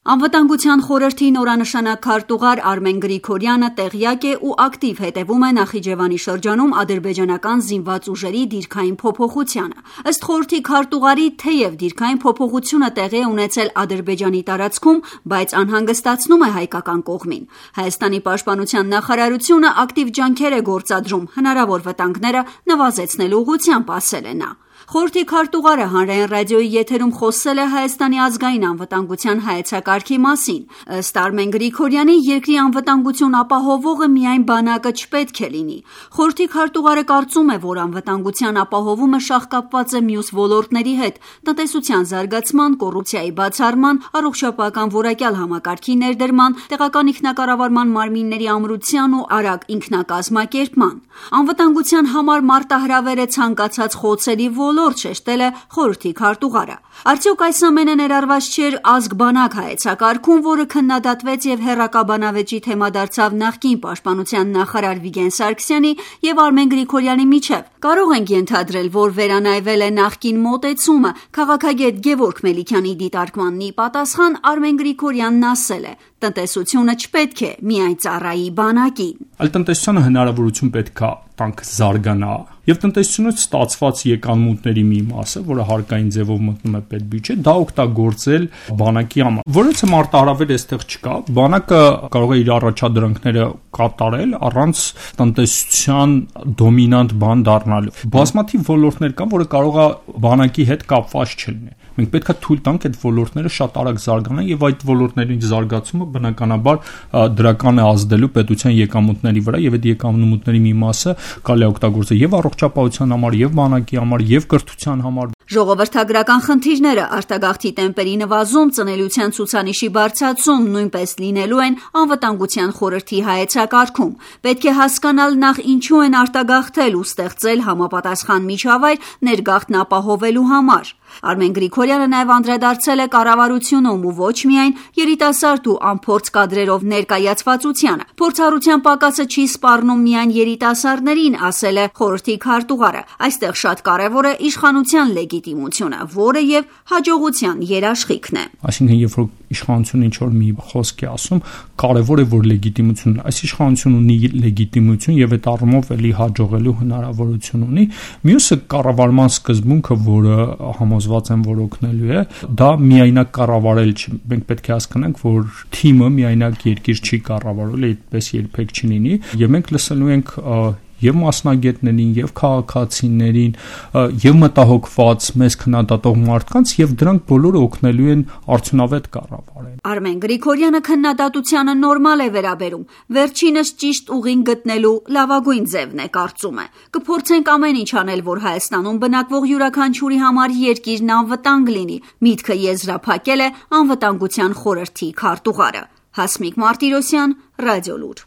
Անվտանգության խորհրդի նորանշանակ քարտուղար Արմեն Գրիգորյանը տեղյակ է ու ակտիվ հետևում է Նախիջևանի շրջանում ադրբեջանական զինված ուժերի դիրքային փոփոխությանը։ Ըստ խորհրդի քարտուղարի, թեև դիրքային փոփոխությունը տեղի է ունեցել Ադրբեջանի տարածքում, բայց անհանգստացնում է հայկական կողմին։ Հայաստանի պաշտպանության նախարարությունը ակտիվ ջանքեր է գործադրում հնարավոր վտանգները նվազեցնելու ուղղությամբ, ասել է նա։ Խորհրդի քարտուղարը հանրային ռադիոյի եթերում խոսել է Հայաստանի ազգային անվտանգության հայեցակարգի մասին։ Ըստ Արմեն Գրիգորյանի, երկրի անվտանգություն ապահովողը միայն բանակը չպետք է լինի։ Խորհրդի քարտուղարը կարծում է, որ անվտանգության ապահովումը շաղկապված է մյուս ոլորտների հետ՝ տնտեսության զարգացման, կոռուպցիայի բացառման, առողջապահական որակյալ համակարգի ներդրման, տեղական ինքնակառավարման մարմինների ամրության ու արագ ինքնակազմակերպման։ Անվտանգության համար մարտահրավեր է ցանկացած խոցելի ոլորտ, շեշտել է խորհրդի քարտուղարը։ Արդյոք այս ամենը ներառված չէր ազգ-բանակ հայեցակարգում, որը քննադատվեց եւ հեռակաբանավեճի թեմա դարձավ նախկին պաշտպանության նախարար Վիգեն Սարգսյանի եւ Արմեն Գրիգորյանի միջեւ։ Կարող ենք ենթադրել, որ վերանայվել է նախկին մոտեցումը։ Քաղաքագետ Գևորգ Մելիքյանի դիտարկմանն ի պատասխան Արմեն Գրիգորյանն ասել է. տնտեսությունը չպետք է միայն ծառայի բանակին։ Այլ տնտեսությանը հնարավորություն պետք է տանք զարգանա եւ տնտեսությունից ստացված եկամուտների մի մասը, որը հարկային ձևով մտնում է պետբյուջե, դա օգտագործել բանակի համար։ Որից մարտահրավեր այստեղ չկա, բանակը կարող է իր առաջադրանքները կատարել առանց տնտեսության դոմինանտ բան դառնալու։ Բազմաթիվ ոլորտներ կան, որը կարող է բանակի հետ կապված չլինի։ Մենք պետք է թույլ տանք այդ ոլորտները շատ արագ զարգանան եւ այդ ոլորտների զարգացումը բնականաբար դրական է ազդելու պետության եկամուտների վրա եւ այդ եկամուտների մի մասը կարելի է օգտագործել եւ առողջապահության համար եւ բանակի համար եւ կրթության համար։ Ժողովրդագրական խնդիրները, արտագաղթի տեմպերի նվազում, ծնելիության ցուցանիշի բարձրացում նույնպես լինելու են անվտանգության խորհրդի հայեցակարգում։ Պետք է հասկանալ նախ ինչու են արտագաղթել ու ստեղծել համապատասխան միջավայր ներգաղթն ապահովելու համար։ Արմեն Գրիգորյանը նաև անդրադարձել է կառավարությունում ու ոչ միայն երիտասարդ ու անփորձ կադրերով ներկայացվածությանը։ Փորձառության պակասը չի սպառնում միայն երիտասարդներին, ասել է խորհրդի քարտուղարը։ Այստեղ շատ կարևոր է իշխանության լեգիտիմությունը, որը եւ հաջողության երաշխիքն է։ Այսինքն, երբ որ իշխանությունը ինչ-որ մի խոսք է ասում, կարևոր է, որ լեգիտիմությունն այս իշխանությունը ունի լեգիտիմություն եւ այդ առումով էլի հաջողելու հնարավորություն ունի։ Մյուսը կառավարման սկզբունքը, որը համոզված եմ, որ օգնելու է, դա միայնակ կառավարել չի։ Մենք պետք է հասկանանք, որ թիմը միայնակ երկիր չի կառավարել, այդպես երբեք չի լինի, եւ մենք լսելու ենք եւ մասնագետներին, եւ քաղաքացիներին, եւ մտահոգված մեզ քննադատող մարդկանց, եւ դրանք բոլորը օգնելու են արդյունավետ կառավարել։ Արմեն Գրիգորյանը քննադատությանը նորմալ է վերաբերում։ Վերջինս ճիշտ ուղին գտնելու լավագույն ձևն է, կարծում է։ Կփորձենք ամեն ինչ անել, որ Հայաստանում բնակվող յուրաքանչյուրի համար երկիրն անվտանգ լինի։ Միտքը եզրափակել է անվտանգության խորհրդի քարտուղարը։ Հասմիկ Մարտիրոսյան, Ռադիոլուր։